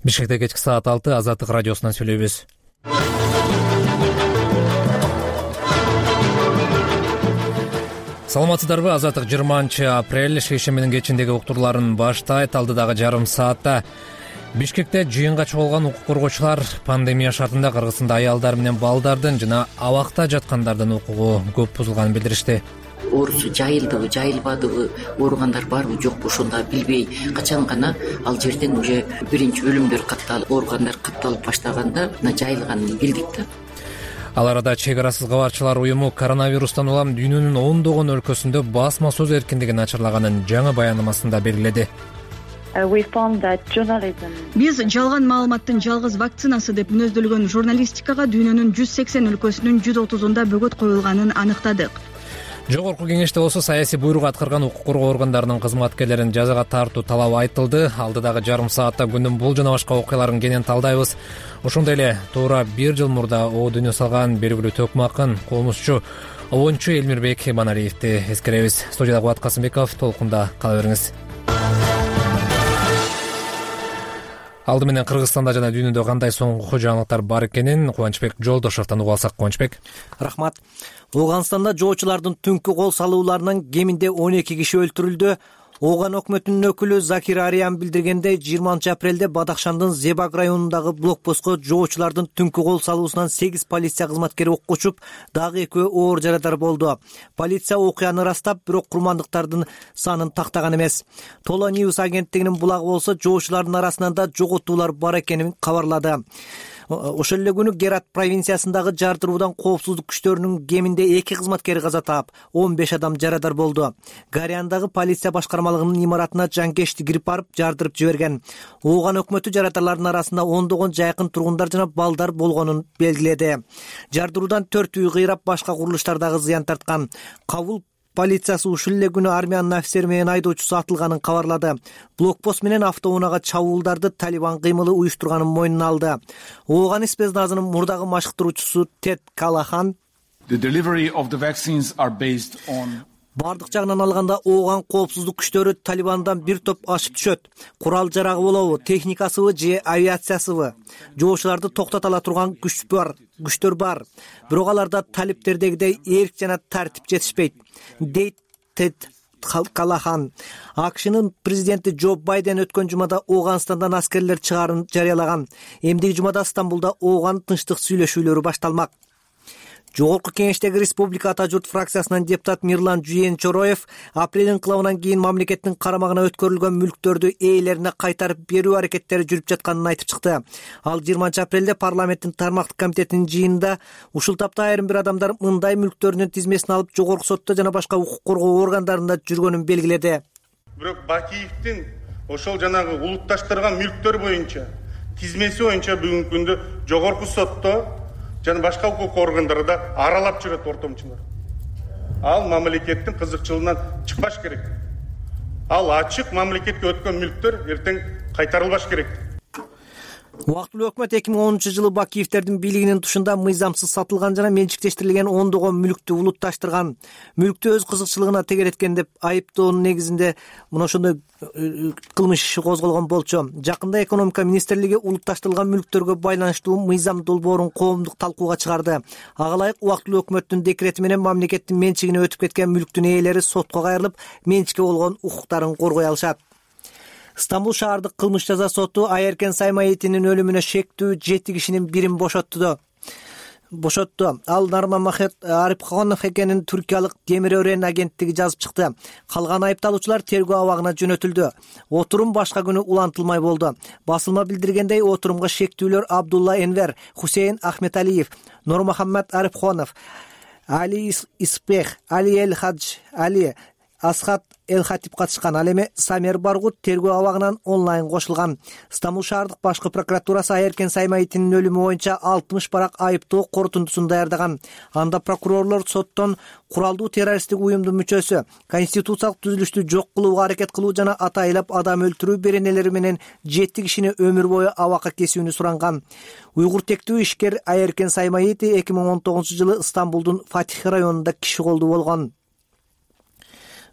Бишкекте кечки саат 6 Азаттык радиосунан сүйлөйбүз. Саламатсыздарбы? Азаттык 20-апрель шейшембинин кечиндеги уктурларын баштайт. Алдыдагы жарым саатта Бишкекте жыйынга чогулган укук коргоочулар пандемия шартында Кыргызстанда аялдар менен балдардын жана абакта жаткандардын укугу көп бузулганын билдиришти. Оорусу жайылдыбы, жайылбадыбы, ооругандар барбы, жокпу ошондо билбей качан гана ал жерден уже биринчи өлүмдөр катталып, ооругандар катталып баштаганда жайылганын билдик да. Ал арада Чек арасыз кабарчылар уюму коронавирустан улам дүйнөнүн ондогон өлкөсүндө басма сөз эркиндигин ачырлаганын жаңы баянамасында белгиледи. Биз жалган маалыматтын жалгыз вакцинасы деп мүнөздөлгөн журналистикага дүйнөнүн 180 өлкөсүнүн 130-унда бөгөт коюлганын аныктадык. Жогорку кеңеште болсо саясий буйрук аткарган укук коргоо органдарынын кызматкерлерин жазага тартуу талабы айтылды. Алдыдагы жарым саатта күндүн бул жана башка окуяларын кенен талдайбыз. Ошондой эле туура 1 жыл мурда о дүйнө салган белгилүү төкмө акын, комузчу Обончу Элмирбек Баналиевди эскеребиз. Студияда Кубат Касымбеков, толкунда кала бериңиз. Алды менен Кыргызстанда жана дүйнөдө кандай соңку жаңылыктар бар экенин Кубанычбек Жолдошовдон угуп алсак. Кубанычбек. Рахмат. Ооганстанда жоочулардын түнкү кол салууларынан кеминде 12 киши өлтүрүлдү. Ооган өкмөтүнүн өкүлү Закир Ариан билдиргендей, 20-апрелде Бадахшандын Зебак районундагы блокпостко жоочулардын түнкү кол салуусунан 8 полиция кызматкери окко учуп, дагы 2 оор жарадар болду. Полиция окуяны ырастап, бирок курмандыктардын санын тактаган эмес. Толо Ньюс агенттигинин булагы болсо, жоочулардын арасынан да жоготуулар бар экенин кабарлады. Ошол эле күнү Герат провинциясындагы жардыруудан коопсуздук күчтөрүнүн кеминде 2 кызматкери каза таап, 15 адам жарадар болду. Гариандагы полиция башкармалыгынын имаратына жанкечти кирип барып, жардырып жиберген. Ооган өкмөтү жаратарлардын арасында ондогон жайкын тургундар жана балдар болгонун белгиледи. Жардыруудан 4 үй кыйрап, башка курулуштардагы зыян тарткан. Кабул полициясы ушул эле күнү армиянын офицери менен айдоочусу атылганын кабарлады. Блокпост менен автоунаага чабуулдарды Талибан кыймылы уюштурганын мойнуна алды. Ооган спецназынын мурдагы машыктыруучусу Тед Калахан бардык жагынан алганда Ооган коопсуздук күчтөрү Талибандан бир топ ашып түшөт. Курал жарагы болобу, техникасыбы же авиациясыбы? Жоочуларды токтото ала турган күчтөр бар. Бирок аларда талиптердегидей эрк жана тартип жетишпейт, дейт Тед Калахан. АКШнын президенти Джо Байден өткөн жумада Ооганстандан аскерлер чыгаарын жарыялаган. Эмдиги жумада Стамбулда Ооган тынчтык сүйлөшүүлөрү башталмак. Жогорку кеңештеги Республика Ата журт фракциясынан депутат Мирлан Жуен Чороев апрель инкылабынан кийин мамлекеттин карамагына өткөрүлгөн мүлктөрдү ээлерине кайтарып берүү аракеттери жүрүп жатканын айтып чыкты. Ал 20-апрелде парламенттин тармактык комитетинин жыйынында ушул тапта айрым бир адамдар мындай мүлктөрүнүн тизмесин алып жогорку сотто жана башка укук коргоо органдарында жүргөнүн белгиледи. Бирок Бакиевдин ошол жанагы улутташтырган мүлктөр боюнча тизмеси боюнча бүгүнкү күндө жогорку сотто жана башка укук органдарда аралап жүрөт ортомчулар. Ал мамлекеттин кызыкчылыгынан чыкпаш керек. Ал ачык мамлекетке өткөн мүлктөр эртең кайтарылбаш керек. Убактылуу өкмөт 2010-жылы Бакиевтердин бийлигинин тушунда мыйзамсыз сатылган жана менчиктештирилген ондогон мүлктү улутташтырган, мүлктү өз кызыкчылыгына тегереткен деп айыптоонун негизинде мына ошондой кылмыш иши козголгон болчу. Жакында экономика министрлиги улутташтырылган мүлктөргө байланыштуу мыйзам долбоорун коомдук талкууга чыгарды. Ага ылайык убактылуу өкмөттүн декрети менен мамлекеттин менчигине өтүп кеткен мүлктүн ээлери сотко кайрылып, менчикке болгон укуктарын коргой алышат. Стамбул шаардык кылмыш жаза соту Айеркен Саймаитинин өлүмүнө шектүү 7 кишинин бирин бошотту. Ал Нармамахет Арипхонов экенин түркиялык Темир Өрен агенттиги жазып чыкты. Калган айыпталуучулар тергөө абагына жөнөтүлдү. Отурум башка күнү улантылмай болду. Басылма билдиргендей, отурумга шектүүлөр Абдулла Энвер, Хусейн Ахметалиев, Нурмухаммед Арипхонов, Али Испех, Али Эл Хадж, Али Асхат Эл-Хатип катышкан. Ал эми Самер Баргут тергөө абагынан онлайн кошулган. Стамбул шаардык башкы прокуратурасы Айеркен Саймаитинин өлүмү боюнча 60 барак айыптоо корутундусун даярдаган. Анда прокурорлор соттон куралдуу террористтик уюмдун мүчөсү, конституциялык түзүлүштү жок кылууга аракет кылуу жана атайлап адам өлтүрүү беренелери менен 7 кишини өмүр бою абакка кесүүнү суранган. Уйгур тектүү ишкер Айеркен Саймаити 2019-жылы Стамбулдун Фатих районунда киши колдуу болгон.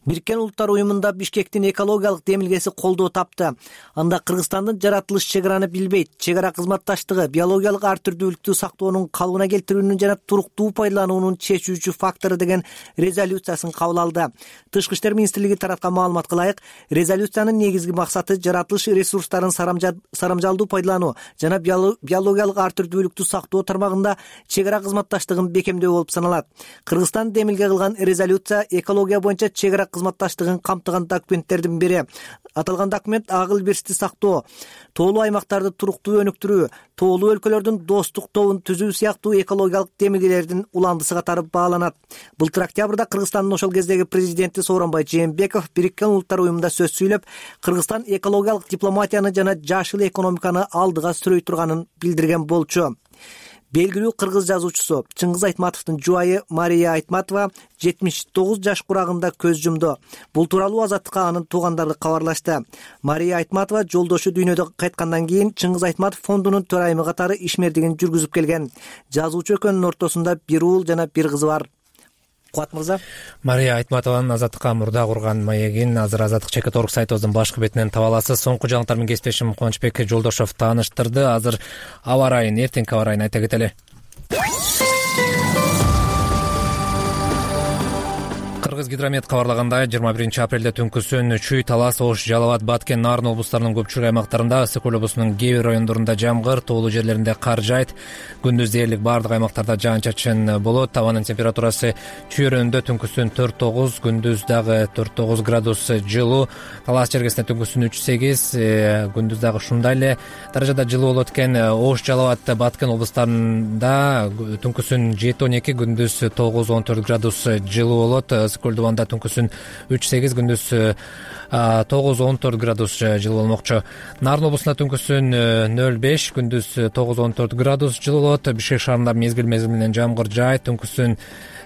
Бириккен Улуттар уюмунда Бишкектин экологиялык демилгеси колдоо тапты. Анда Кыргызстандын жаратылыш чек араны билбейт, чек ара кызматташтыгы, биологиялык ар түрдүүлүктү сактоонун калыбына келтирүүнүн жана туруктуу пайдалануунун чечүүчү фактору деген резолюциясын кабыл алды. Тышкы иштер министрлиги тараткан маалыматка ылайык, резолюциянын негизги максаты жаратылыш ресурстарын сарамжалдуу пайдалануу жана биологиялык ар түрдүүлүктү сактоо тармагында чек ара кызматташтыгын бекемдөө болуп саналат. Кыргызстан демилге кылган резолюция экология боюнча чек ара кызматташтыгын камтыган документтердин бири. Аталган документ акыл бирсти сактоо, тоолуу аймактарды туруктуу өнүктүрүү, тоолуу өлкөлөрдүн достук тобун түзүү сыяктуу экологиялык демилгелердин уландысы катары бааланат. Былтыр октябрда Кыргызстандын ошол кездеги президенти Сооронбай Жээнбеков Бириккен Улуттар уюмунда сөз сүйлөп, Кыргызстан экологиялык дипломатияны жана жашыл экономиканы алдыга сүрөй турганын билдирген болчу. Белгилүү кыргыз жазуучусу Чыңгыз Айтматовдун жубайы Мария Айтматова 79 жаш курагында көз жумду. Бул тууралуу Азаттыкка анын туугандары кабарлашты. Мария Айтматова жолдошу дүйнөдөн кайткандан кийин Чыңгыз Айтматов фондунун төрайымы катары ишмердигин жүргүзүп келген. Жазуучу экөөнүн ортосунда бир уул жана бир кызы бар. Кубат мырза. Мария Айтматованын Азаттыкка мурда курган маегин азыр Азаттык ЧК.орг сайтыбыздын башкы бетинен таба аласыз. Соңку жаңылыктар менен кесиптешим Кубанычбек Жолдошов тааныштырды. Азыр аба ырайын, эртеңки аба ырайын айта кетели. Кыргызгидромет кабарлагандай, 21-апрелде түнкүсүн Чүй, Талас, Ош, Жалал абад, Баткен, Нарын облустарынын көпчүлүк аймактарында, ысык көл облусунун кээ бир райондорунда жамгыр, тоолуу жерлеринде кар жаайт. Күндүз дээрлик баардык аймактарда жаан-чачын болот. Табанын температурасы Чүй районунда түнкүсүн 4-9, күндүз дагы 4-9 градус жылуу. Талас чергесинде түнкүсүн 3-8, күндүз дагы ушундай эле даражада жылуу болот экен. Ош, Жалал абад, Баткен облустарында түнкүсүн 7-12, күндүз 9-14 градус жылуу болот. Көлдүбанда түнкүсүн 3-8, күндүз 9-14 градус жылуу болмокчу. Нарын облусунда түнкүсүн 0-5, күндүз 9-14 градус жылуу болот. Бишкек шаарында мезгил менен жамгыр жаайт, түнкүсүн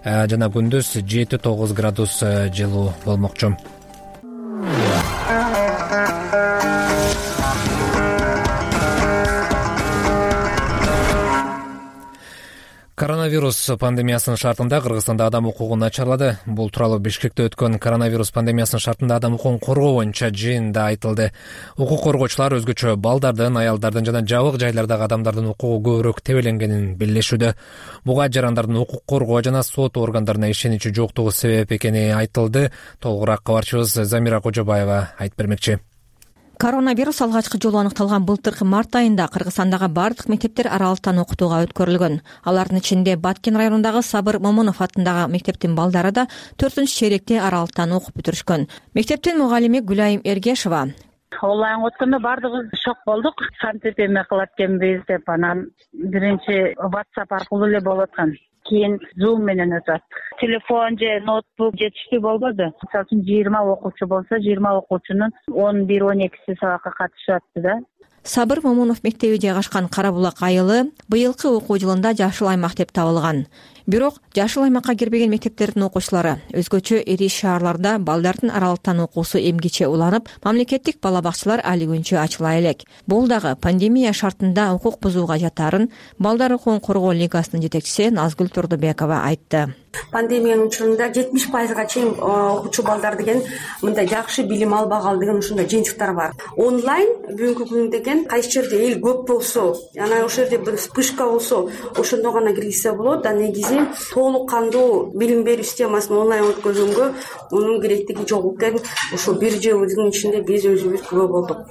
жана күндүз 7-9 градус жылуу болмокчу. Коронавирус пандемиясынын шартында Кыргызстанда адам укугу начарлады. Бул тууралуу Бишкекте өткөн коронавирус пандемиясынын шартында адам укугун коргоо боюнча жыйында айтылды. Укук коргоочулар өзгөчө балдардын, аялдардын жана жабык жайлардагы адамдардын укугу көбүрөөк тебеленгенин белгилешүүдө. Буга жарандардын укук коргоо жана сот органдарына ишеничи жоктугу себеп экени айтылды. Толугураак кабарчыбыз Замира Кожобаева айтып бермекчи. Коронавирус алгачкы жолу аныкталган былтыркы март айында Кыргызстандагы бардык мектептер аралыктан окутууга өткөрүлгөн. Алардын ичинде Баткен районундагы Сабыр Момунов атындагы мектептин балдары да 4-черекте аралыктан окуп бүтүрүшкөн. Мектептин мугалими Гүлайым Эргешова: Онлайн өткөндө баардыгыбыз шок болдук. Кантип эме кылат экенбиз деп, анан биринчи WhatsApp аркылуу эле болуп аткан. Кийин Zoom менен өтөт. Телефон же ноутбук жетиштүү болбоду. Мисалы үчүн 20 окуучу болсо, 20 окуучунун 11-12си сабакка катышып атты да. Сабыр Момунов мектеби жайгашкан Карабулак айылы быйылкы окуу жылында жашыл аймак деп табылган. Бирок жашыл аймакка кирбеген мектептердин окуучулары өзгөчө ири шаарларда балдардын аралыктан окуусу эмгиче уланып, мамлекеттик бала бакчалар али күнчө ачыла элек. Бул дагы пандемия шартында укук бузууга жатарын Балдар укугун коргоо лигасынын жетекчиси Назгүл Турдубекова айтты. Пандемиянын учурунда 70%га чейин окуучу балдар деген мындай жакшы билим албагал деген ушундай жыйынтыктар бар. Онлайн бүгүнкү күн деген кайсы жерде эл көп болсо, жана ошол жерде бир вспышка болсо, ошондо гана киргизсе болот. Да негизи толук кандуу билим берүү системасын онлайн өткөргөнгө мунун керектиги жок экен. Ошо бир жылдын ичинде биз өзүбүз күбө болдук.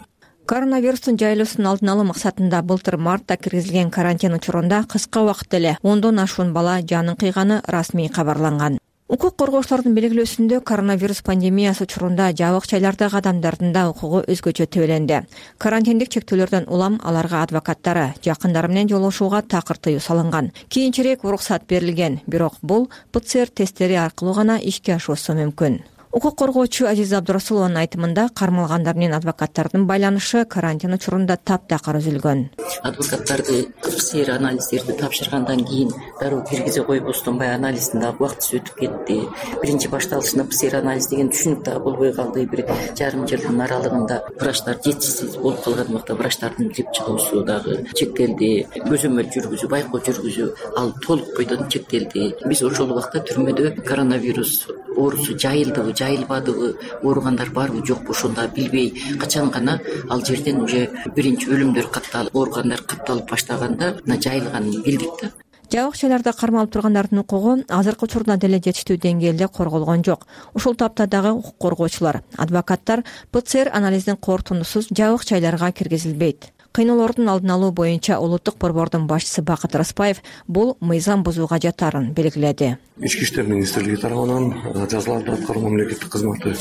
Коронавирустун жайылуусун алдын алуу максатында былтыр мартта киргизилген карантин учурунда кыска убакытта эле 10дон ашуун бала жанын кыйганы расмий кабарланган. Укук коргоочулардын белгилөөсүндө коронавирус пандемиясы учурунда жабык жайлардагы адамдардын да укугу өзгөчө тебеленди. Карантиндик чектөөлөрдөн улам аларга адвокаттары, жакындары менен жолугушууга такыр тыюу салынган. Кийинчерээк уруксат берилген, бирок бул ПЦР тесттери аркылуу гана ишке ашуусу мүмкүн. Укук коргоочу Азиза Абдурасулованын айтымында кармалгандар менен адвокаттардын байланышы карантин учурунда таптакыр үзүлгөн. Адвокаттарды ПЦР анализдерди тапшыргандан кийин дароо киргизе койбостон баягы анализдин дагы убактысы өтүп кетти. Биринчи башталышында ПЦР анализ деген түшүнүк дагы болбой калды. Бир жарым жылдын аралыгында врачтар жетишсиз болуп калган убакта врачтардын кирип чыгуусу дагы чектелди. Көзөмөл жүргүзүү, байкоо жүргүзүү ал толук бойдон чектелди. Биз ошол убакта түрмөдө коронавирус оорусу жайылдыбы жайылбадыбы, ооругандар барбы жокпу ошону да билбей качан гана ал жерден уже биринчи өлүмдөр катталып, ооругандар катталып баштаганда мына жайылганын билдик да. Жабык жайларда кармалып тургандардын укугу азыркы учурда деле жетиштүү деңгээлде корголгон жок. Ушул тапта дагы укук коргоочулар, адвокаттар ПЦР анализдин корутундусуз жабык жайларга киргизилбейт. Кыйноолордун алдын алуу боюнча улуттук борбордун башчысы Бакыт Распаев бул мыйзам бузууга жатарын белгиледи. Ички иштер министрлиги тарабынан, жазаларды аткаруу мамлекеттик кызматы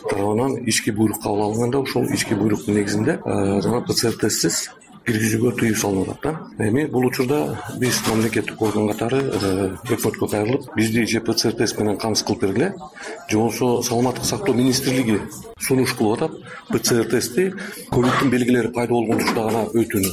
тарабынан ички буйрук кабыл алынганда ошол ички буйруктун негизинде жана ПЦР тестсиз киргизүүгө тыюу салынып атат да. Эми бул учурда биз мамлекеттик орган катары өкмөткө кайрылып, бизди же ПЦР тест менен камсыз кылып бергиле, же болбосо саламаттык сактоо министрлиги сунуш кылып атат ПЦР тести ковидтин белгилери пайда болгон учурда гана өтүүнү.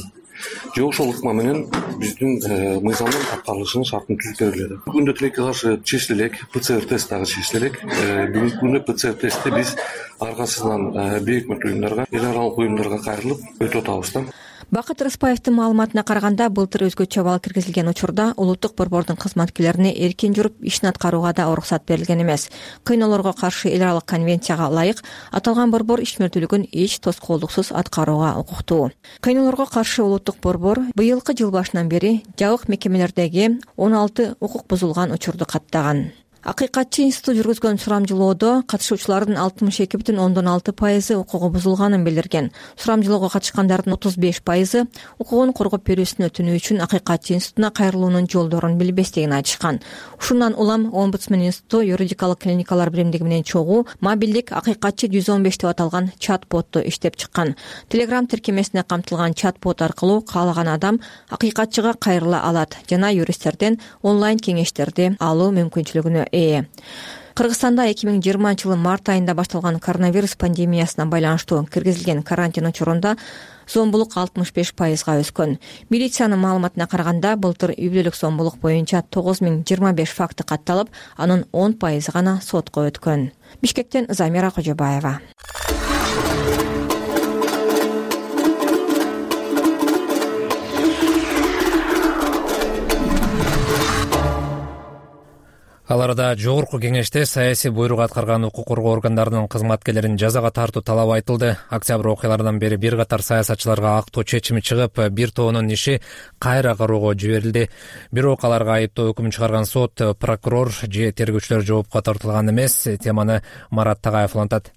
Же ошол ыкма менен биздин мыйзамдын аткарылышынын шартын түзүп бергиле. Бүгүндө тилекке каршы чечиле элек, ПЦР тест дагы чечиле элек. Бүгүнкү күндө ПЦР тестти биз ар кайсысынан бейөкмөт уюмдарга, эл аралык уюмдарга кайрылып өтүп атабыз да. Бакыт Распаевдин маалыматына караганда, былтыр өзгөчө абал киргизилген учурда улуттук борбордун кызматкерлерине эркин жүрүп ишин аткарууга да уруксат берилген эмес. Кыйноолорго каршы эл аралык конвенцияга ылайык аталган борбор ишмердүүлүгүн эч тоскоолдуксуз аткарууга укуктуу. Кыйноолорго каршы улуттук борбор быйылкы жыл башынан бери жабык мекемелердеги 16 укук бузулган учурду каттаган. Акыйкатчы институту жүргүзгөн сурамжылоодо катышуучулардын 62,6% укугу бузулганын билдирген. Сурамжылоого катышкандардын 35% укугун коргоп берүүсүн өтүнүү үчүн акыйкатчы институтуна кайрылуунун жолдорун билбестигин айтышкан. Ушундан улам Омбудсмен институту юридикалык клиникалар биримдиги менен чогуу мобилдик акыйкатчы 115 деп аталган чат-ботту иштеп чыккан. Telegram тиркемесине камтылган чат-бот аркылуу каалаган адам акыйкатчыга кайрыла алат жана юристтерден онлайн кеңештерди алуу мүмкүнчүлүгүнө Кыргызстанда 2020 жылы март айында башталган коронавирус пандемиясына байланыштуу киргизилген карантин учурунда зомбулук 65%га өскөн. Милициянын маалыматына караганда, былтыр үй-бүлөлүк зомбулук боюнча 9025 факты катталып, анын 10% гана сотко өткөн. Бишкектен Замира Кожобаева. Ал арада жогорку кеңеште саясий буйрук аткарган укук коргоо органдарынын кызматкерлерин жазага тартуу талабы айтылды. Октябрь окуяларынан бери бир катар саясатчыларга актоо чечими чыгып, бир тоонун иши кайра кароого жиберилди. Бирок аларга айыптоо өкүмүн чыгарган сот, прокурор же тергөөчүлөр жоопко тартылган эмес. Теманы Марат Тагаев улантат.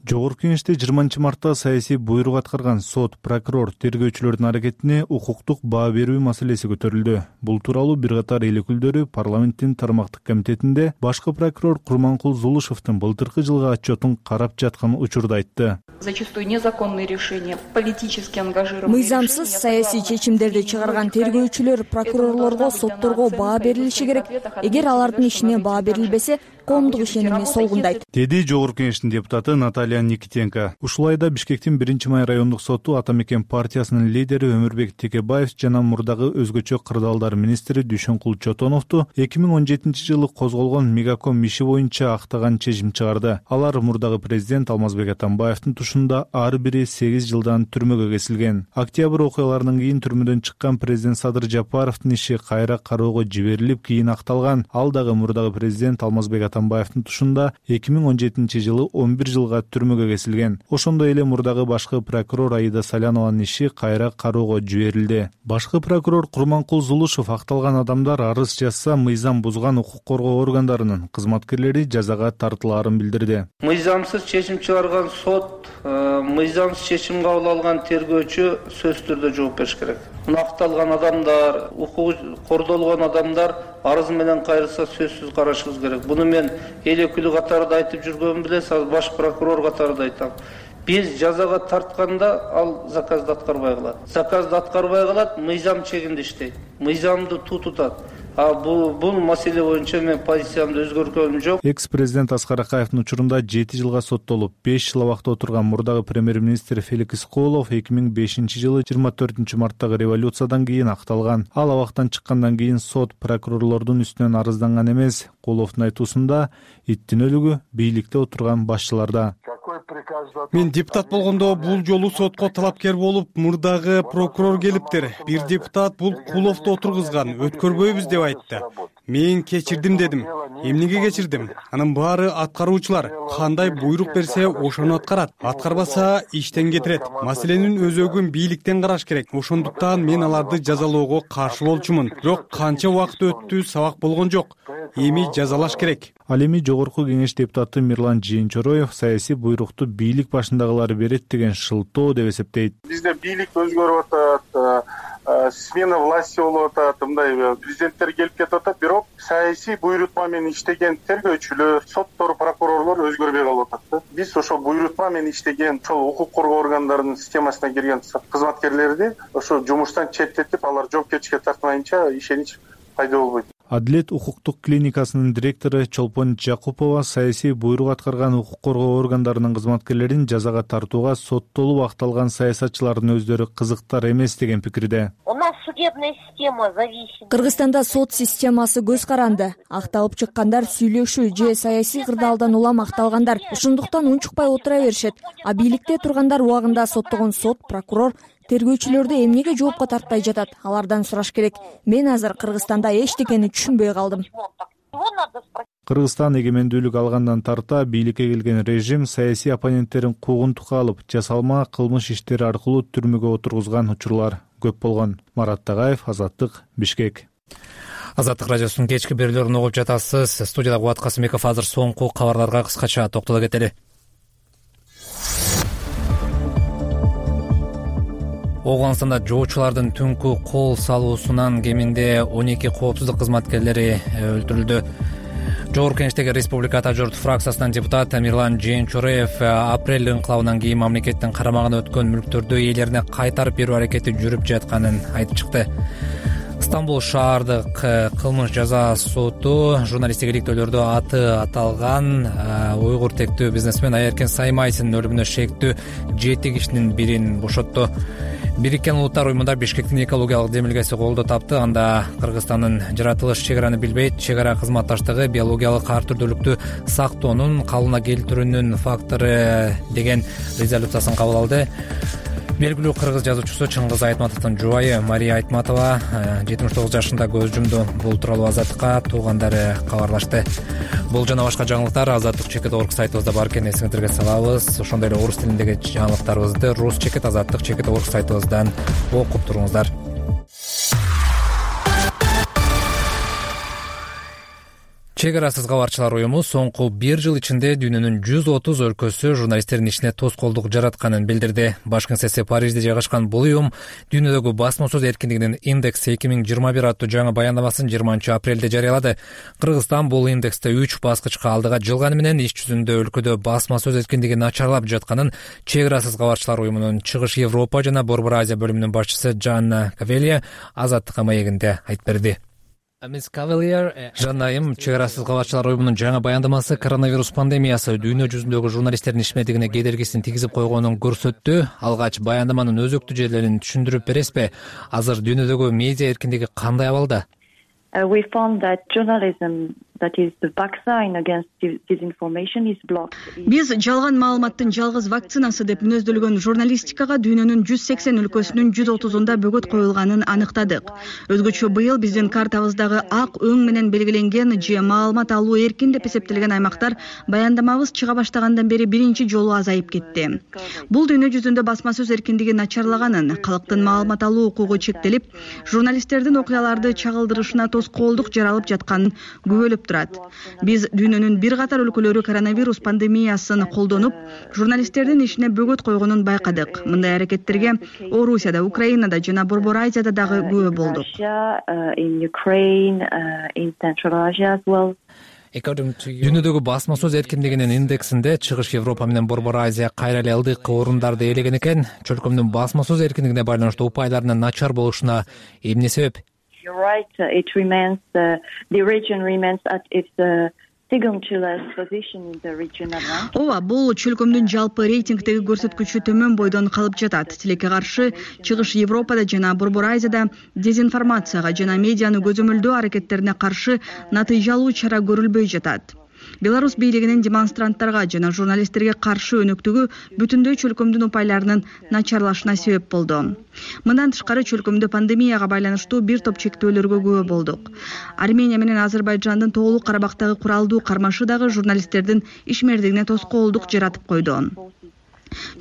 Жогорку кеңеште 20 мартта саясий буйрук аткарган сот, прокурор, тергөөчүлөрдүн аракетине укуктук баа берүү маселеси көтөрүлдү. Бул тууралуу бир катар эл өкүлдөрү парламенттин тармактык комитетинде башкы прокурор Курманкул Зулушевдин былтыркы жылгы отчетун карап жаткан учурда айтты. Зачастую незаконные решения, политически ангажированные. Мыйзамсыз саясий чечимдерди чыгарган тергөөчүлөр, прокурорлорго, сотторго баа берилиши керек. Эгер алардын ишине баа берилбесе, коомдук ишенимди солгундайт, деди жогорку кеңештин депутаты Наталья Никитенко. Ушул айда Бишкектин 1-май райондук соту Ата Мекен партиясынын лидери Өмүрбек Текебаев жана мурдагы өзгөчө кырдаалдар министри Дүйшөнкул Чотоновду 2017 жылы козголгон Мегаком иши боюнча актаган чечим чыгарды. Алар мурдагы президент Алмазбек Атамбаевдин тушунда ар бири 8 жылдан түрмөгө кесилген. Октябрь окуяларынан кийин түрмөдөн чыккан президент Садыр Жапаровдун иши кайра кароого жиберилип, кийин акталган. Ал дагы мурдагы президент Алмазбек Атамбаевдин тушунда 2017 жылы 11 жылга түрмөгө кесилген. Ошондой эле мурдагы башкы прокурор Аида Салянованын иши кайра кароого жиберилди. Башкы прокурор Курманкул Зулушев акталган адамдар арыз жазса, мыйзам бузган укук коргоо органдарынын кызматкерлери жазага тартылаарын билдирди. Мыйзамсыз чечим чыгарган сот, мыйзамсыз чечим кабыл алган тергөөчү сөзсүз түрдө жооп бериш керек. Акталган адамдар, укугу кордолгон адамдар арыз менен кайрылса сөзсүз карашыбыз керек. Буну мен эл өкүлү катарында айтып жүргөнүм билесиз, азыр баш прокурор катарында айтам. Биз жазага тартканда ал заказды аткарбай калат. Заказды аткарбай калат, мыйзам чегинде иштейт. Мыйзамды тутат. Бул маселе боюнча мен позициямды өзгөрткөнүм жок. Экс-президент Аскар Акаевдин учурунда 7 жылга соттолуп, 5 жыл абакта отурган мурдагы премьер-министр Феликс Исколов 2005 жылы 24 марттагы революциядан кийин акталган. Ал абактан чыккандан кийин сот прокурорлордун үстүнөн арызданган эмес. Коловдун айтуусунда иттин өлүгү бийликте отурган башчыларда. Какой Мен депутат болгондо бул жолу сотко талапкер болуп, мурдагы прокурор келиптир. Бир депутат бул Куловду отургузган, өткөрбөйбүз деп айтты. Мен кечирдим дедим. Эмнеге кечирдим? Анын баары аткаруучулар. Кандай буйрук берсе, ошону аткарат. Аткарбаса, иштен кетирет. Маселенин өзөгүн бийликтен караш керек. Ошондуктан мен аларды жазалоого каршы болчумун. Бирок канча убакыт өттү, сабак болгон жок. Эми жазалаш керек. Ал эми Жогорку Кеңеш депутаты Мирлан Жээнчороев саясий буйрукту бийлик башындагылар берет деген шылтоо деп эсептейт. Бизде бийлик өзгөрүп атат, смена власти болуп атат, мындай президенттер келип кетип атат, бирок саясий буйрутма менен иштеген тергөөчүлөр, соттор, прокурорлор өзгөрбөй калып атат. Биз ошо буйрутма менен иштеген, ошол укук коргоо органдарынын системасына кирген кызматкерлерди ошо жумуштан четтетип, алар жоопкерчиликке тартмайынча ишенич пайда болбойт. Адилет укуктук клиникасынын директору Чолпон Жакупова саясий буйрук аткарган укук коргоо органдарынын кызматкерлерин жазага тартууга соттолуп акталган саясатчылардын өздөрү кызыктар эмес деген пикирде. У нас судебная система зависит. Кыргызстанда сот системасы көз каранды. Акталып чыккандар сүйлөшүү же саясий кырдаалдан улам акталгандар ошондуктан унчукпай отура беришет. А бийликте тургандар убагында соттогон сот, прокурор тергөөчүлөрдү эмнеге жоопко тартпай жатат? Алардан сураш керек. Мен азыр Кыргызстанда эчтекени түшүнбөй калдым. Кыргызстан эгемендүүлүк алгандан тарта бийликке келген режим саясий оппоненттерин куугунтукка алып, жасалма кылмыш иштери аркылуу түрмөгө отургузган учурлар көп болгон. Марат Тагаев, Азаттык, Бишкек. Азаттык радиосунун кечки берүүлөрүн угуп жатасыз. Студияда Кубат Касымбеков. Азыр соңку кабарларга кыскача токтоло кетели. Оганстанда жоочулардын түнкү кол салуусунан кеминде 12 коопсуздук кызматкерлери өлтүрүлдү. Жогорку Кеңештеги Республика Ата журт фракциясынын депутаты Мирлан Жээнчороев апрель инкылабынан кийин мамлекеттин карамагына өткөн мүлктөрдү ээлерине кайтарып берүү аракети жүрүп жатканын айтып чыкты. Стамбул шаардык кылмыш жаза соту журналисттик иликтөөлөрдө аты аталган уйгур тектүү бизнесмен Айеркен Саймайсынын өлүмүнө шектүү 7 кишинин бирин бошотту. Бириккен Улуттар уюмунда Бишкектин экологиялык демилгеси колдоо тапты. Анда Кыргызстандын жаратылыш чегараны билбейт, чегара кызматташтыгы биологиялык ар түрдүүлүктү сактоонун калыбына келтирүүнүн фактору деген резолюциясын кабыл алды. Белгилүү кыргыз жазуучусу Чыңгыз Айтматовдун жубайы Мария Айтматова 79 жашында көз жумду. Бул тууралуу Азаттыкка туугандары кабарлашты. Бул жана башка жаңылыктар azattik.org сайтыбызда бар экенин эсиңиздерге салабыз. Ошондой эле орус тилиндеги жаңылыктарыбызды rus.azattik.org сайтыбыздан окуп туруңуздар. Чегарасыз кабарчылар уюму соңку 1 жыл ичинде дүйнөнүн 130 өлкөсү журналисттердин ишине тоскоолдук жаратканын билдирди. Баш кеңсеси Парижде жайгашкан бул уюм дүйнөдөгү басма сөз эркиндигинин индекси 2021 аттуу жаңы баяндамасын 20 апрелде жарыялады. Кыргызстан бул индексте 3 баскычка алдыга жылганы менен иш жүзүндө өлкөдө басма сөз эркиндиги начарлап жатканын Чегарасыз кабарчылар уюмунун Чыгыш Европа жана Борбор Азия бөлүмүнүн башчысы Жанна Кавелия Азаттыкка маегинде айтып берди. Жанайым, Чегарасыз кабарчылар уюмунун жаңы баяндамасы коронавирус пандемиясы дүйнө жүзүндөгү журналисттердин ишмердигине кедергисин тийгизип койгонун көрсөттү. Алгач баяндаманын өзөктүү жерлерин түшүндүрүп бересизби? Азыр дүйнөдөгү медиа эркиндиги кандай абалда? We found that journalism that is the vaccine against disinformation is blocked. Биз жалган маалыматтын жалгыз вакцинасы деп мүнөздөлгөн журналистикага дүйнөнүн 180 өлкөсүнүн 130-унда бөгөт коюлганын аныктадык. Өзгөчө быйыл биздин картабыздагы ак өң менен белгиленген же маалымат алуу эркин деп эсептелген аймактар баяндамабыз чыга баштагандан бери биринчи жолу азайып кетти. Бул дүйнө жүзүндө басма сөз эркиндиги начарлаганын, калктын маалымат алуу укугу чектелип, журналисттердин окуяларды чагылдырышына тоскоолдук жаралып жатканын күбөлөп турат. Биз дүйнөнүн бир катар өлкөлөрү коронавирус пандемиясын колдонуп, журналисттердин ишине бөгөт койгонун байкадык. Мындай аракеттерге Орусияда, Украинада жана Борбор Азияда дагы күбө болдук. Дүйнөдөгү басма сөз эркиндигинин индексинде Чыгыш Европа менен Борбор Азия кайра эле ылдыйкы орундарды ээлеген экен. Чөлкөмдүн басма сөз эркиндигине байланыштуу упайларынын начар болушуна эмне себеп? You're right. It remains the region remains at its second to last position in the region. Ооба, бул чөлкөмдүн жалпы рейтингдеги көрсөткүчү төмөн бойдон калып жатат. Тилекке каршы Чыгыш Европада жана Борбор Азияда дезинформацияга жана медианы көзөмөлдөө аракеттерине каршы натыйжалуу чара көрүлбөй жатат. Беларусь бийлигинин демонстранттарга жана журналисттерге каршы өнөктүгү бүтүндөй чөлкөмдүн упайларынын начарлашына себеп болду. Мындан тышкары чөлкөмдө пандемияга байланыштуу бир топ чектөөлөргө күбө болдук. Армения менен Азербайжандын Тоолук Карабактагы куралдуу кармашы дагы журналисттердин ишмердигине тоскоолдук жаратып койду.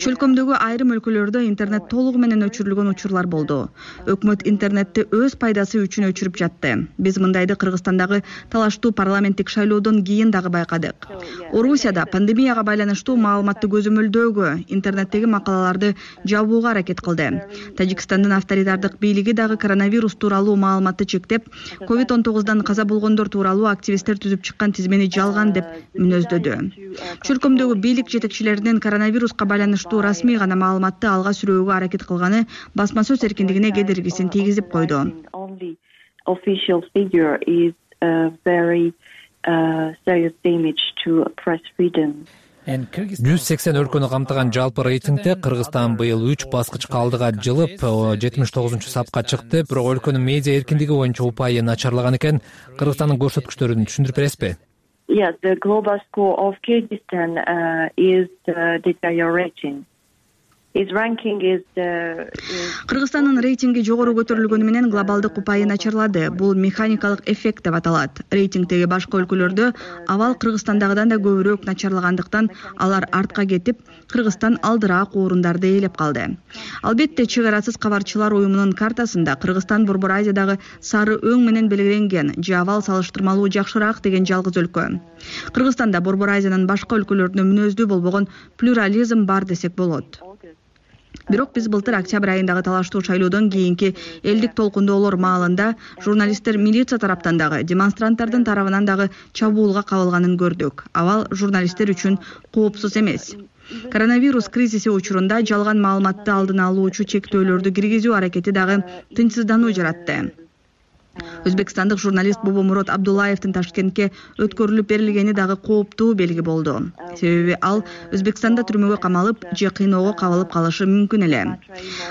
Чөлкөмдөгү айрым өлкөлөрдө интернет толугу менен өчүрүлгөн учурлар болду. Өкмөт интернетти өз пайдасы үчүн өчүрүп жатты. Биз мындайды Кыргызстандагы талаштуу парламенттик шайлоодон кийин дагы байкадык. Орусияда пандемияга байланыштуу маалыматты көзөмөлдөөгө, интернеттеги макалаларды жабууга аракет кылды. Тажикстандын авторитардык бийлиги дагы коронавирус тууралуу маалыматты чектеп, COVID-19 каза болгондор тууралуу активисттер түзүп чыккан тизмени жалган деп мүнөздөдү. Чөлкөмдөгү бийлик жетекчилеринин коронавируска байланыштуу расмий гана маалыматты алга сүрөөгө аракет кылганы басма сөз эркиндигине кедергисин тийгизип койду. Жүз 80 өлкөнү камтыган жалпы рейтингде Кыргызстан быйыл 3 баскычка алдыга жылып 79-сапка чыкты. Бирок өлкөнүн медиа эркиндиги боюнча упайы начарлаган экен. Кыргызстандын көрсөткүчтөрүн түшүндүрүп бересизби? Yes, the global score of Kyrgyzstan is deteriorating. Its ranking is Кыргызстандын рейтинги жогору көтөрүлгөнү менен глобалдык упайы начарлады. Бул механикалык эффект деп аталат. Рейтингдеги башка өлкөлөрдө абал Кыргызстандагыдан да көбүрөөк начарлагандыктан алар артка кетип, Кыргызстан алдыраак орундарды ээлеп калды. Албетте, чек арасыз кабарчылар уюмунун картасында Кыргызстан Борбор Азиядагы сары өң менен белгиленген, же абал салыштырмалуу жакшыраак деген жалгыз өлкө. Кыргызстанда Борбор Азиянын башка өлкөлөрүнө мүнөздүү болбогон плюрализм бар десек болот. Бирок биз былтыр октябрь айындагы талаштуу шайлоодон кийинки элдик толкундоолор маалында журналисттер милиция тараптан дагы, демонстранттардын тарабынан дагы чабуулга кабылганын көрдүк. Абал журналисттер үчүн коопсуз эмес. Коронавирус кризиси учурунда жалган маалыматты алдын алуучу чектөөлөрдү киргизүү аракети дагы тынчсыздануу жаратты. Өзбекстандык журналист Бобомурод Абдуллаевдин Ташкентке өткөрүлүп берилгени дагы кооптуу белги болду. Себеби ал Өзбекстанда түрмөгө камалып, же кыйноого кабылып калышы мүмкүн эле.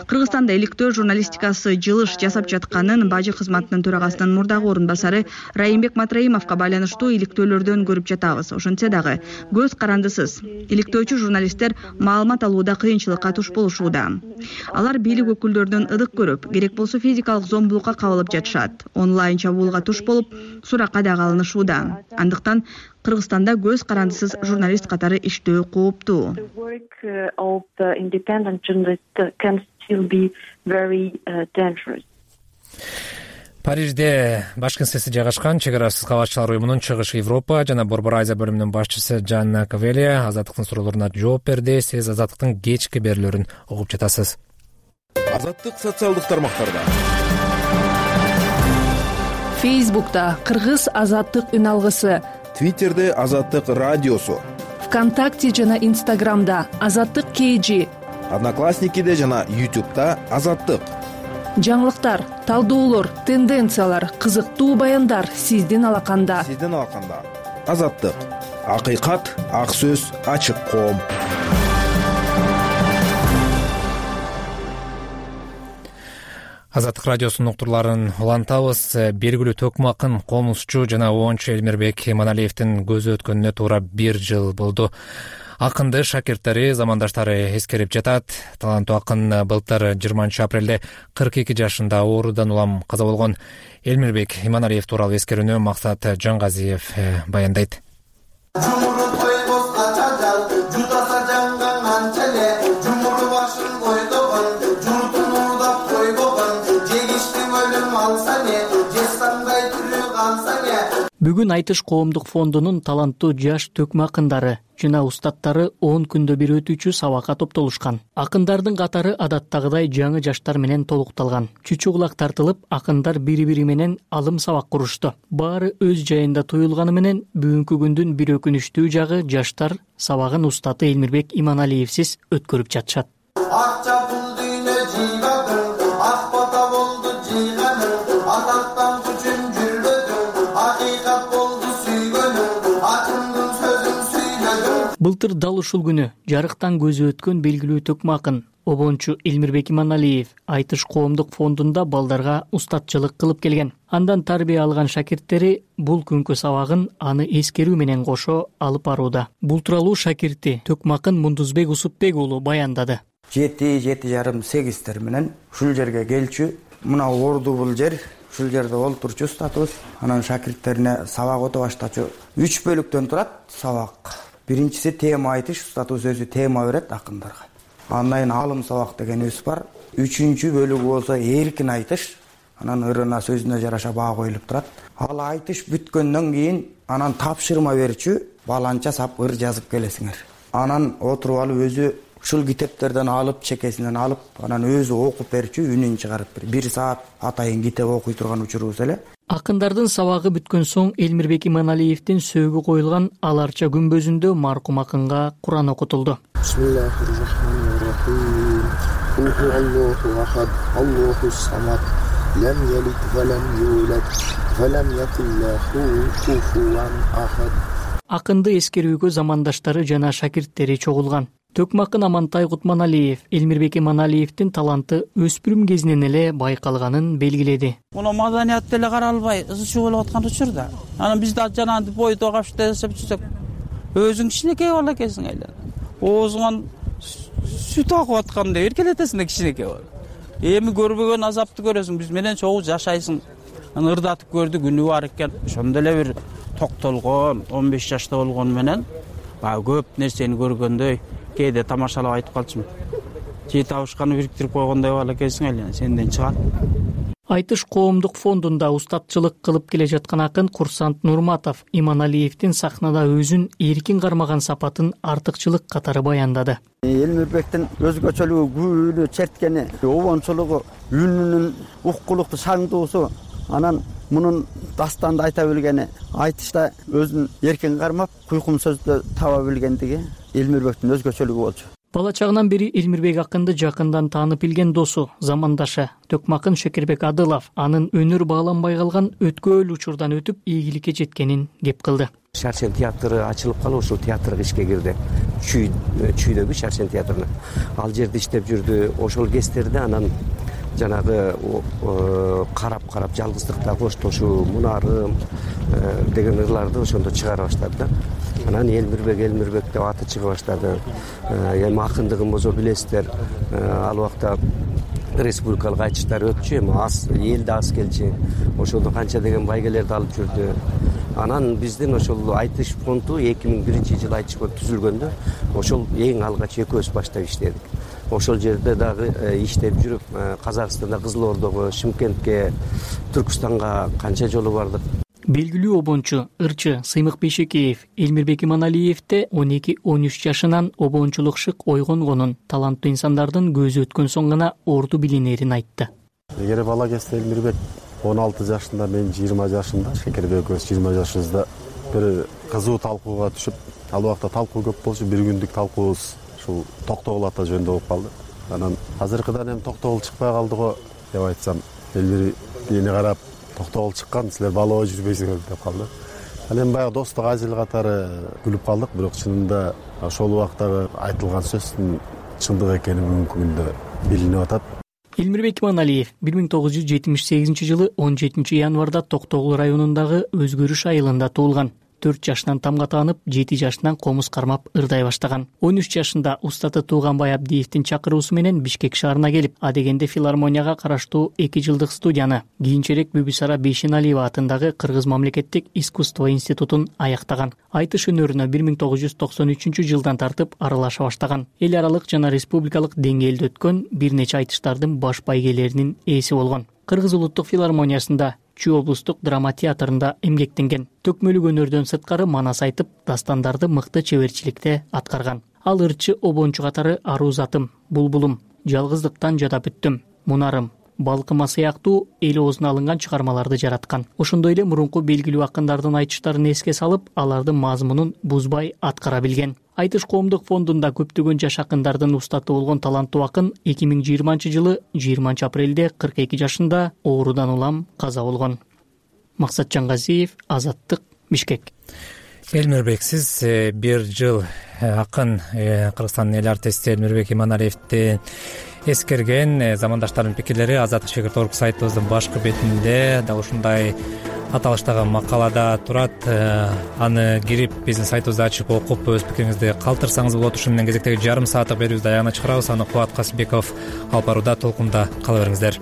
Кыргызстанда иликтөө журналистикасы жылыш жасап жатканын Бажы кызматынын төрагасынын мурдагы орун басары Райымбек Матраимовго байланыштуу иликтөөлөрдөн көрүп жатабыз. Ошентсе дагы көз карандысыз. Иликтөөчү журналисттер маалымат алууда кыйынчылыкка туш болушууда. Алар бийлик өкүлдөрүнөн ыдык көрүп, керек болсо физикалык зомбулукка кабылып жатышат. Онлайн чабуулга туш болуп, суракка дагы алынышууда. Андыктан Кыргызстанда көз карандысыз журналист катары иштөө кооптуу. Парижде баш кеңсеси жайгашкан чек арасыз кабарчылар уюмунун Чыгыш Европа жана Борбор Азия бөлүмүнүн башчысы Жанна Кавелия Азаттыктын суроолоруна жооп берди. Сиз Азаттыктын кечки берүүлөрүн угуп жатасыз. Азаттык социалдык тармактарда. Фейсбукта Кыргыз Азаттык үн алгысы, Твиттерде Азаттык радиосу, ВКонтакте жана Инстаграмда Азаттык KG, Одноклассникиде жана YouTube'да Азаттык. Жаңылыктар, талдоолор, тенденциялар, кызыктуу баяндар сиздин алаканда. Азаттык. Акыйкат, ак сөз, ачык коом. Азаттык радиосунун уктурларын улантабыз. Белгилүү төкмө акын, комузчу жана оончу Элмирбек Иманалиевдин көзү өткөнүнө туура 1 жыл болду. Акынды шакирттери, замандаштары эскерип жатат. Таланттуу акын былтыр 20 апрелде 42 жашында оорудан улам каза болгон. Элмирбек Иманалиев тууралуу эскерүүнү Максат Жангазиев баяндайт. Бүгүн Айтыш коомдук фондунун таланттуу жаш төкмө акындары жана устаттары 10 күндө бир өтүүчү сабакка топтолушкан. Акындардын катары адаттагыдай жаңы жаштар менен толукталган. Чүчү кулак тартылып, акындар бири-бири менен алым сабак курушту. Баары өз жайында туюлганы менен бүгүнкү күндүн бир өкүнүчтүү жагы жаштар сабагын устаты Элмирбек Иманалиевсиз өткөрүп жатышат. Былтыр дал ушул күнү жарыктан көзү өткөн белгилүү төкмө акын обончу Элмирбек Иманалиев Айтыш коомдук фондунда балдарга устатчылык кылып келген. Андан тарбия алган шакирттери бул күнкү сабагын аны эскерүү менен кошо алып барууда. Бул тууралуу шакирти Төкмакын Мундузбек Усупбек уулу баяндады. 7-7,5 менен ушул жерге келчү. Мына орду бул жер. Ушул жерде олтурчу устатыбыз. Анан шакирттерине сабак өтө баштачу. 3 бөлүктөн турат сабак. Биринчиси тема айтыш, устатыбыз өзү тема берет акындарга. Андан кийин алым сабак дегенибиз бар. 3-чү бөлүгү болсо эркин айтыш. Анан ырына сөзүнө жараша баа коюлуп турат. Ал айтыш бүткөндөн кийин анан тапшырма берчү, баланча сап ыр жазып келесиңер. Анан отуруп алып өзү ушул китептерден алып, чекесинен алып, анан өзү окуп берчү, үнүн чыгарып бер. 1 саат атайын китеп окуй турган учурубуз эле. Акындардын сабагы бүткөн соң Элмирбек Иманалиевдин сөөгү коюлган Аларча күмбөзүндө маркум акынга Куран окутулду. Акынды эскерүүгө замандаштары жана шакирттери чогулган. Төкмакын Амантай Кутманалиев Элмирбек Иманалиевдин таланты өспүрүм кезинен эле байкалганын белгиледи. Муну маданият деле каралбай ызчуу болуп аткан учурда. Анан биз да жанагы бойдо капшып десеп жүрсөк, өзүң кичинекей бала экенсиң эле. Оозуңан сүт агып аткандай эркелетесиң кичинекей бала. Эми көрбөгөн азапты көрөсүң, биз менен чогуу жашайсың. Анан ырдатып көрдүк, үнү бар экен. Ошондо эле бир токтолгон, 15 жашта болгону менен көп нерсени көргөндөй кээде тамашалап айтып калчумун. Жети абышканы бириктирип койгондой бала экенсиң эле, сенден чыгат. Айтыш коомдук фондунда устатчылык кылып келе жаткан акын Курсант Нурматов Иманалиевдин сахнада өзүн эркин кармаган сапатын артыкчылык катары баяндады. Элмирбектин өзгөчөлүгү, күбөлү черткени, обончулугу, үнүнүн уккулукту, шаңдуусу, анан мунун дастанды айта билгени, айтышта өзүн эркин кармап, куйкум сөздү таба билгендиги Элмирбектин өзгөчөлүгү болчу. Бала чагынан бери Элмирбек акынды жакындан таанып билген досу, замандашы Төкмакын Шекербек Адылов анын өнөр бааланбай калган өткөөл учурдан өтүп ийгиликке жеткенин кеп кылды. Шаршен театры ачылып калып, ушул театрга ишке кирди. Чүйдөгү Шаршен театрына. Ал жерде иштеп жүрдү. Ошол кездерде анан жанагы карап жалгыздыкта коштошуу, мунарым деген ырларды ошондо чыгара баштады да. Анан Элмирбек деп аты чыга баштады. Эми акындыгын болсо билесиздер, ал убакта республикалык айтыштар өтчү, эми элде аз келчү. Ошолдо канча деген байгелерди алып жүрдү. Анан биздин ошол айтыш фонду 2001-жылы айтыш фонду түзүлгөндө, ошол эң алгач экөөбүз баштап иштедик. Ошол жерде дагы иштеп жүрүп, Казакстанда Кызыл Ордого, Шымкентке, Түркүстанга канча жолу бардык. Белгилүү обончу, ырчы Сыймык Бейшекеев Элмирбек Иманалиевде 12-13 жашынан обончулук шык ойгонгонун, таланттуу инсандардын көзү өткөн соң гана орду билинерин айтты. Эгер бала кезде Элмирбек 16 жашында, мен 20 жашында, Шекербек экөөбүз 20 жашыбызда бир кызуу талкууга түшүп, ал убакта талкуу көп болчу, бир күндүк талкуубуз ушул Токтогул ата жөнүндө болуп калды. Анан азыркыдан эми Токтогул чыкпай калды го деп айтсам, Элмир мени карап, Токтогул чыккан, силер балоо жүрбөйсүңөр деп калды. Ал эми баягы достук ажыл катары күлүп калдык, бирок чынында ошол убактагы айтылган сөздүн чындык экени бүгүнкү күндө билинип атат. Элмирбек Иманалиев 1978-жылы 17 январда Токтогул районундагы Өзгөрүш айылында туулган. 4 жашынан тамга таанып, 7 жашынан комуз кармап ырдай баштаган. 13 жашында устаты Тууганбай Абдиевдин чакыруусу менен Бишкек шаарына келип, адегенде филармонияга караштуу 2 жылдык студияны, кийинчерээк Бүбүсара Бейшеналиева атындагы Кыргыз мамлекеттик искусство институтун аяктаган. Айтыш өнөрүнө 1993-жылдан тартып аралаша баштаган. Эл аралык жана республикалык деңгээлде өткөн бир нече айтыштардын баш байгелеринин ээси болгон. Кыргыз улуттук филармониясында, Чүй облустук драма театрында эмгектенген. Төкмөлүк өнөрдөн сырткары манас айтып, дастандарды мыкты чеберчиликте аткарган. Ал ырчы обончу катары Аруу затым, Булбулум, Жалгыздыктан жада бүттүм, Мунарым, Балкыма сыяктуу эл оозуна алынган чыгармаларды жараткан. Ошондой эле мурунку белгилүү акындардын айтыштарын эске салып, алардын мазмунун бузбай аткара билген. Айтыш коомдук фондунда көптөгөн жаш акындардын устаты болгон таланттуу акын 2020-жылы 20 апрелде 42 жашында оорудан улам каза болгон. Максат Жангазиев, Азаттык, Бишкек. Элмирбек, сиз бир жыл акын Кыргызстандын эл артисти Элмирбек Иманалиевди эскерген. Замандаштардын пикирлери Азаттык шегирт орг сайтыбыздын башкы бетинде дал ушундай аталыштагы макалада турат. Аны кирип биздин сайтыбызды ачып окуп өз пикириңизди калтырсаңыз болот. Ушу менен кезектеги жарым сааттык берүүбүздү аягына чыгарабыз. Аны Кубат Касымбеков алып барууда. Толкунда кала бериңиздер.